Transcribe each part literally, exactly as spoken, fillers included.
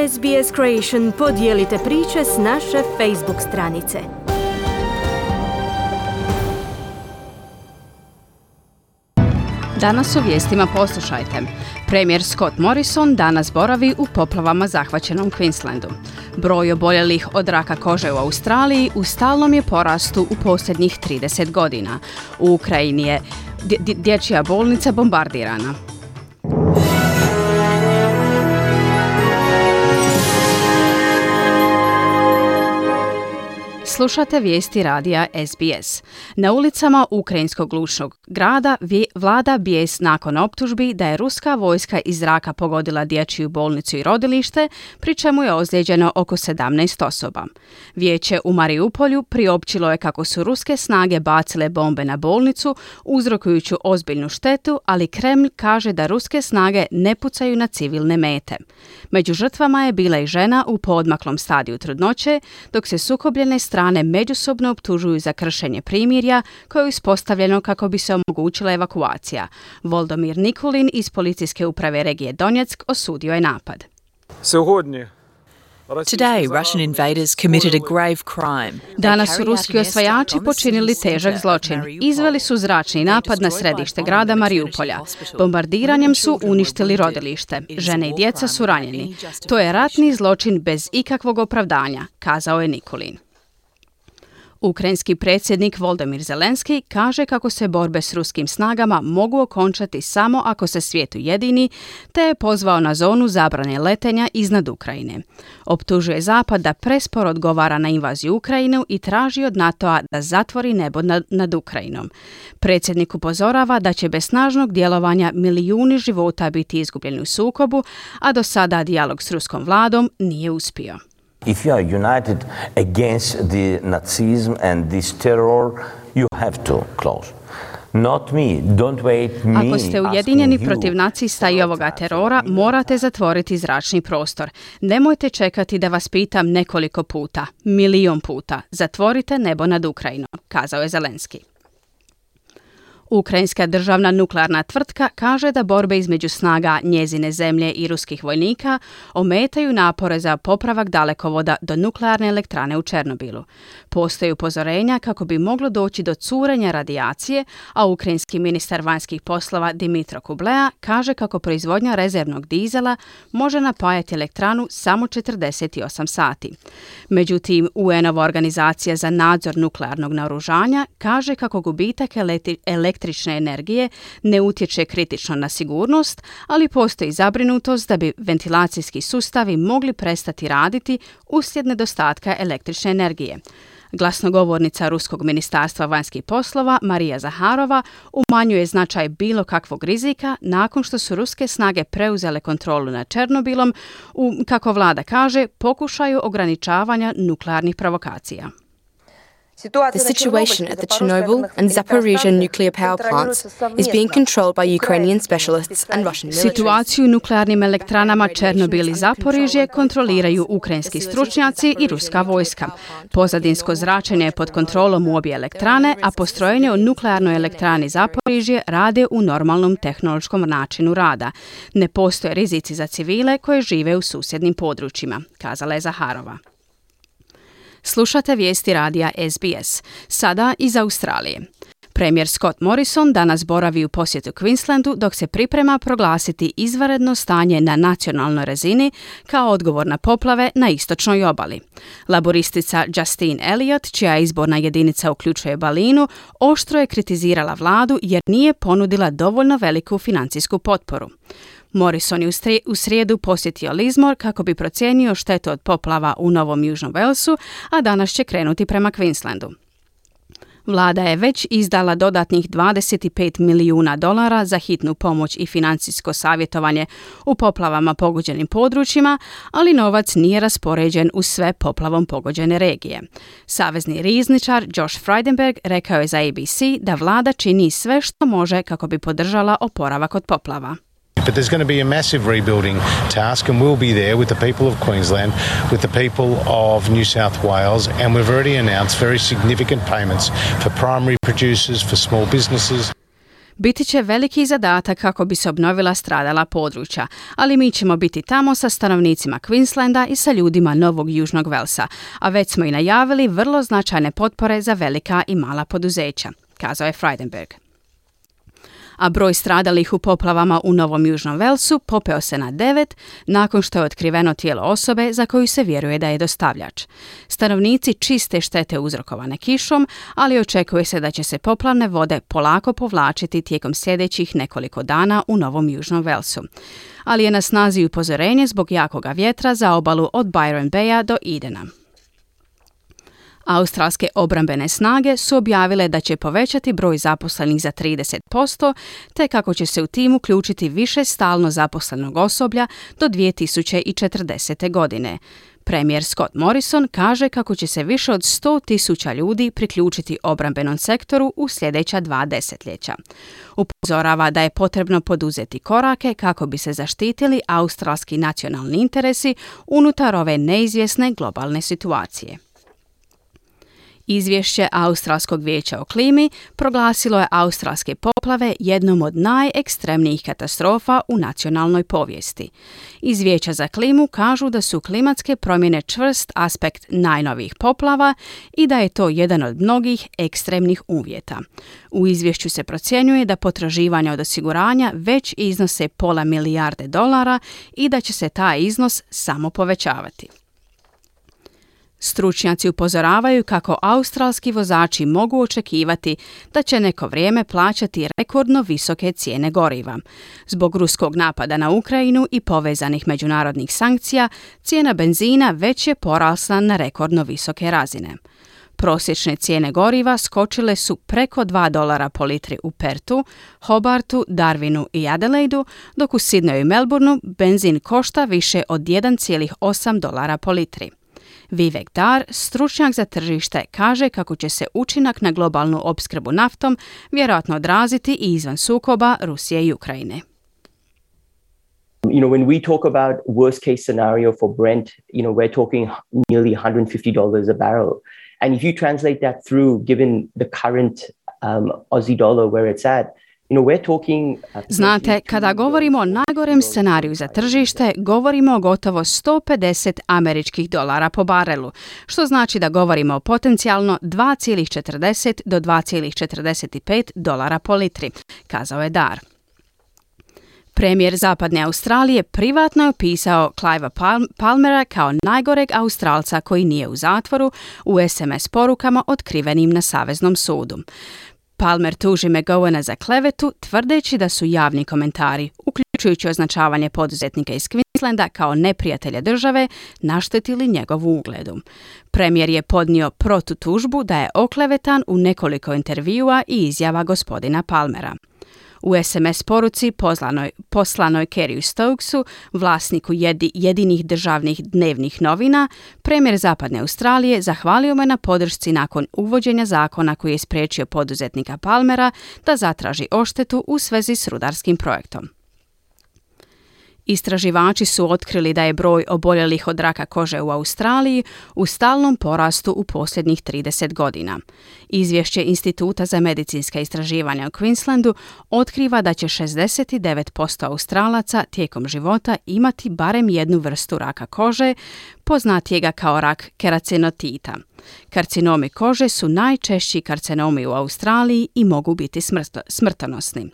S B S Creation podijelite priče s naše Facebook stranice. Danas u vijestima poslušajte. Premijer Scott Morrison danas boravi u poplavama zahvaćenom Queenslandu. Broj oboljelih od raka kože u Australiji u stalnom je porastu u posljednjih trideset godina. U Ukrajini je dj- dječja bolnica bombardirana. Slušate vijesti radija S B S. Na ulicama ukrajinskog glušnog grada vlada bijes nakon optužbi da je ruska vojska iz zraka pogodila dječju bolnicu i rodilište, pri čemu je ozlijeđeno oko sedamnaest osoba. Vijeće u Mariupolju priopćilo je kako su ruske snage bacile bombe na bolnicu, uzrokujući ozbiljnu štetu, ali Kremlj kaže da ruske snage ne pucaju na civilne mete. Među žrtvama je bila i žena u poodmaklom stadiju trudnoće, dok se sukobljene strane međusobno optužuju za kršenje primirja koje je uspostavljeno kako bi se omogućila evakuacija. Volodymyr Nikulin iz policijske uprave regije Donjeck osudio je napad. Today, Russian invaders committed a grave crime. Danas su ruski osvajači počinili težak zločin. Izveli su zračni napad na središte grada Mariupolja. Bombardiranjem su uništili rodilište. Žene i djeca su ranjeni. To je ratni zločin bez ikakvog opravdanja, kazao je Nikulin. Ukrajinski predsjednik Volodymyr Zelenski kaže kako se borbe s ruskim snagama mogu okončati samo ako se svijet ujedini, te je pozvao na zonu zabrane letenja iznad Ukrajine. Optužuje Zapad da presporo odgovara na invaziju Ukrajine i traži od NATO-a da zatvori nebo nad, nad Ukrajinom. Predsjednik upozorava da će bez snažnog djelovanja milijuni života biti izgubljeni u sukobu, a do sada dijalog s ruskom vladom nije uspio. If you are united against the Nazism and this terror, you have to close. Not me. Don't wait me. Ako ste ujedinjeni protiv nacista i ovoga terora, morate zatvoriti zračni prostor. Nemojte čekati da vas pitam nekoliko puta, milion puta. Zatvorite nebo nad Ukrajinom, kazao je Zelenski. Ukrajinska državna nuklearna tvrtka kaže da borbe između snaga njezine zemlje i ruskih vojnika ometaju napore za popravak dalekovoda do nuklearne elektrane u Černobilu. Postoje upozorenja kako bi moglo doći do curenja radijacije, a ukrajinski ministar vanjskih poslova Dmitro Kuleba kaže kako proizvodnja rezervnog dizela može napajati elektranu samo četrdeset osam sati. Međutim, U N-ova organizacija za nadzor nuklearnog naoružanja kaže kako gubitak elektri- električne energije ne utječe kritično na sigurnost, ali postoji zabrinutost da bi ventilacijski sustavi mogli prestati raditi uslijed nedostatka električne energije. Glasnogovornica Ruskog ministarstva vanjskih poslova Marija Zaharova umanjuje značaj bilo kakvog rizika nakon što su ruske snage preuzele kontrolu nad Černobilom u, kako vlada kaže, pokušaju ograničavanja nuklearnih provokacija. The situation at the Chernobyl and Zaporizhzhia nuclear power plants is being controlled by Ukrainian specialists and Russian military. Situaciju u nuklearnim elektranama Černobil i Zaporižje kontroliraju ukrajinski stručnjaci i ruska vojska. Pozadinsko zračenje je pod kontrolom u obje elektrane, a postrojenje u nuklearnoj elektrani Zaporižje rade u normalnom tehnološkom načinu rada. Ne postoje rizici za civile koje žive u susjednim područjima, kazala je Zaharova. Slušate vijesti radija S B S. Sada iz Australije. Premijer Scott Morrison danas boravi u posjetu Queenslandu dok se priprema proglasiti izvanredno stanje na nacionalnoj razini kao odgovor na poplave na istočnoj obali. Laboristica Justine Elliott, čija izborna jedinica uključuje Balinu, oštro je kritizirala vladu jer nije ponudila dovoljno veliku financijsku potporu. Morrison je u srijedu posjetio Lismore kako bi procijenio štetu od poplava u Novom Južnom Walesu, a danas će krenuti prema Queenslandu. Vlada je već izdala dodatnih dvadeset pet milijuna dolara za hitnu pomoć i financijsko savjetovanje u poplavama pogođenim područjima, ali novac nije raspoređen u sve poplavom pogođene regije. Savezni rizničar Josh Frydenberg rekao je za A B C da vlada čini sve što može kako bi podržala oporavak od poplava. But there's going to be a massive rebuilding task, and we'll be there with the people of Queensland, with the people of New South Wales, and we've already announced very significant payments for primary producers, for small businesses. Biti će veliki zadatak kako bi se obnovila stradala područja, ali mi ćemo biti tamo sa stanovnicima Queenslanda i sa ljudima Novog Južnog Velsa, a već smo i najavili vrlo značajne potpore za velika i mala poduzeća, kazao je Frydenberg. A broj stradalih u poplavama u Novom Južnom Velsu popeo se na devet nakon što je otkriveno tijelo osobe za koju se vjeruje da je dostavljač. Stanovnici čiste štete uzrokovane kišom, ali očekuje se da će se poplavne vode polako povlačiti tijekom sljedećih nekoliko dana u Novom Južnom Velsu. Ali je na snazi upozorenje zbog jakoga vjetra za obalu od Byron Baya do Edena. Australske obrambene snage su objavile da će povećati broj zaposlenih za trideset posto, te kako će se u tim uključiti više stalno zaposlenog osoblja do dvije tisuće četrdesete. godine. Premijer Scott Morrison kaže kako će se više od sto tisuća ljudi priključiti obrambenom sektoru u sljedeća dva desetljeća. Upozorava da je potrebno poduzeti korake kako bi se zaštitili australski nacionalni interesi unutar ove neizvjesne globalne situacije. Izvješće Australskog vijeća o klimi proglasilo je australske poplave jednom od najekstremnijih katastrofa u nacionalnoj povijesti. Iz Vijeća za klimu kažu da su klimatske promjene čvrst aspekt najnovijih poplava i da je to jedan od mnogih ekstremnih uvjeta. U izvješću se procjenjuje da potraživanja od osiguranja već iznose pola milijarde dolara i da će se taj iznos samo povećavati. Stručnjaci upozoravaju kako australski vozači mogu očekivati da će neko vrijeme plaćati rekordno visoke cijene goriva. Zbog ruskog napada na Ukrajinu i povezanih međunarodnih sankcija, cijena benzina već je porasla na rekordno visoke razine. Prosječne cijene goriva skočile su preko dva dolara po litri u Pertu, Hobartu, Darwinu i Adelaidu, dok u Sydneyu i Melbourneu benzin košta više od jedan zarez osam dolara po litri. Vivek Dar, stručnjak za tržište, kaže kako će se učinak na globalnu opskrbu naftom vjerojatno odraziti i izvan sukoba Rusije i Ukrajine. You know, when we talk about worst case scenario for Brent, you know, we're talking nearly one hundred fifty dollars a barrel. And if you translate that through, given the current um, Aussie dollar where it's at, Znate, kada govorimo o najgorem scenariju za tržište, govorimo o gotovo sto pedeset američkih dolara po barelu, što znači da govorimo o potencijalno dva zarez četrdeset do dva zarez četrdeset pet dolara po litri, kazao je Dar. Premijer Zapadne Australije privatno je opisao Cliva Palmera kao najgoreg Australca koji nije u zatvoru u es em es porukama otkrivenim na Saveznom sudu. Palmer tuži McGowana za klevetu, tvrdeći da su javni komentari, uključujući označavanje poduzetnika iz Queenslanda kao neprijatelja države, naštetili njegovu ugledu. Premijer je podnio protutužbu da je oklevetan u nekoliko intervjua i izjava gospodina Palmera. U es em es poruci poslanoj, poslanoj Kerryu Stokesu, vlasniku jedi, jedinih državnih dnevnih novina, premijer Zapadne Australije zahvalio me na podršci nakon uvođenja zakona koji je spriječio poduzetnika Palmera da zatraži odštetu u svezi s rudarskim projektom. Istraživači su otkrili da je broj oboljelih od raka kože u Australiji u stalnom porastu u posljednjih trideset godina. Izvješće Instituta za medicinska istraživanja u Queenslandu otkriva da će šezdeset devet posto Australaca tijekom života imati barem jednu vrstu raka kože, poznatijega kao rak keracinotita. Karcinomi kože su najčešći karcinomi u Australiji i mogu biti smrt- smrtonosni.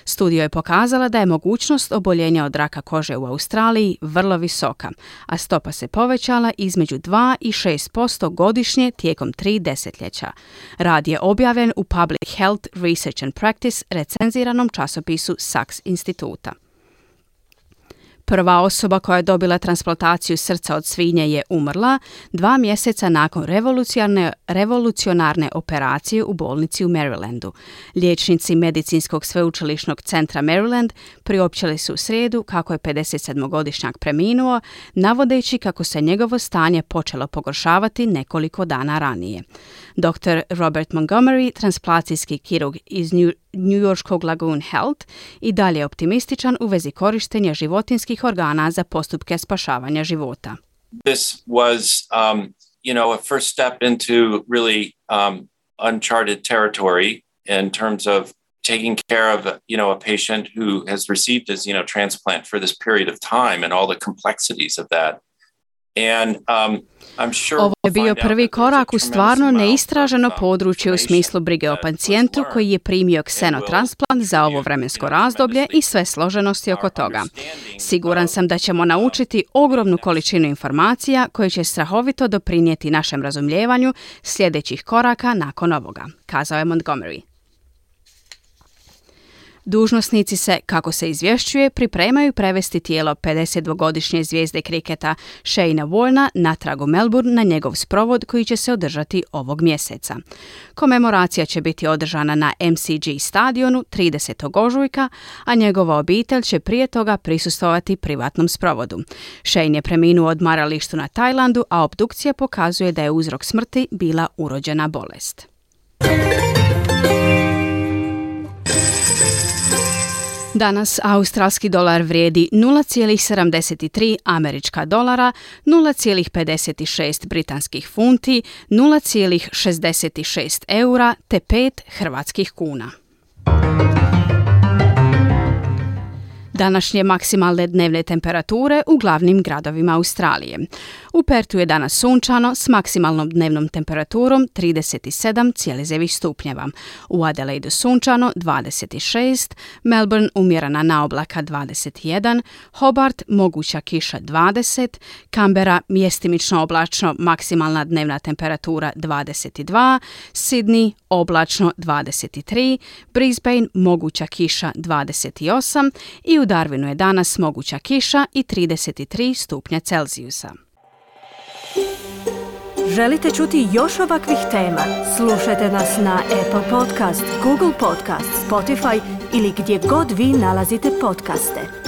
Studija je pokazala da je mogućnost oboljenja od raka kože u Australiji vrlo visoka, a stopa se povećala između dva i šest posto godišnje tijekom tri desetljeća. Rad je objavljen u Public Health Research and Practice recenziranom časopisu Saks instituta. Prva osoba koja je dobila transplantaciju srca od svinje je umrla dva mjeseca nakon revolucionarne, revolucionarne operacije u bolnici u Marylandu. Liječnici Medicinskog sveučilišnog centra Maryland priopćili su u srijedu kako je pedesetsedmogodišnjak preminuo, navodeći kako se njegovo stanje počelo pogoršavati nekoliko dana ranije. doktor Robert Montgomery, transplantacijski kirurg iz New njujorškog Lagoon Health, i dalje je optimističan u vezi korištenja životinskih organa za postupke spašavanja života. This was, um, you know, a first step into really um, uncharted territory in terms of taking care of, you know, a patient who has received his, you know, transplant for this period of time and all the complexities of that. And, um, I'm sure Ovo je bio prvi korak u stvarno neistraženo područje u smislu brige o pacijentu koji je primio ksenotransplant za ovo vremensko razdoblje i sve složenosti oko toga. Siguran sam da ćemo naučiti ogromnu količinu informacija koje će strahovito doprinijeti našem razumijevanju sljedećih koraka nakon ovoga, kazao je Montgomery. Dužnosnici se, kako se izvješćuje, pripremaju prevesti tijelo pedesetdvogodišnje zvijezde kriketa Shayna Warna natrag u Melbourne na njegov sprovod koji će se održati ovog mjeseca. Komemoracija će biti održana na M C G stadionu tridesetog ožujka, a njegova obitelj će prije toga prisustvovati privatnom sprovodu. Shane je preminuo u odmaralištu na Tajlandu, a obdukcija pokazuje da je uzrok smrti bila urođena bolest. Danas australski dolar vrijedi nula zarez sedamdeset tri američka dolara, nula zarez pedeset šest britanskih funti, nula zarez šezdeset šest eura te pet hrvatskih kuna. Današnje maksimalne dnevne temperature u glavnim gradovima Australije. U Pertu je danas sunčano s maksimalnom dnevnom temperaturom trideset sedam zarez devet stupnjeva. U Adelaidu sunčano dvadeset šest, Melbourne umjerena na oblaka dvadeset jedan, Hobart moguća kiša dvadeset, Canberra mjestimično oblačno maksimalna dnevna temperatura dvadeset dva, Sydney oblačno dvadeset tri, Brisbane moguća kiša dvadeset osam i u Darwinu je danas moguća kiša i trideset tri stupnja Celzijusa. Želite čuti još ovakvih tema? Slušajte nas na Apple Podcast, Google Podcast, Spotify ili gdje god vi nalazite podcaste.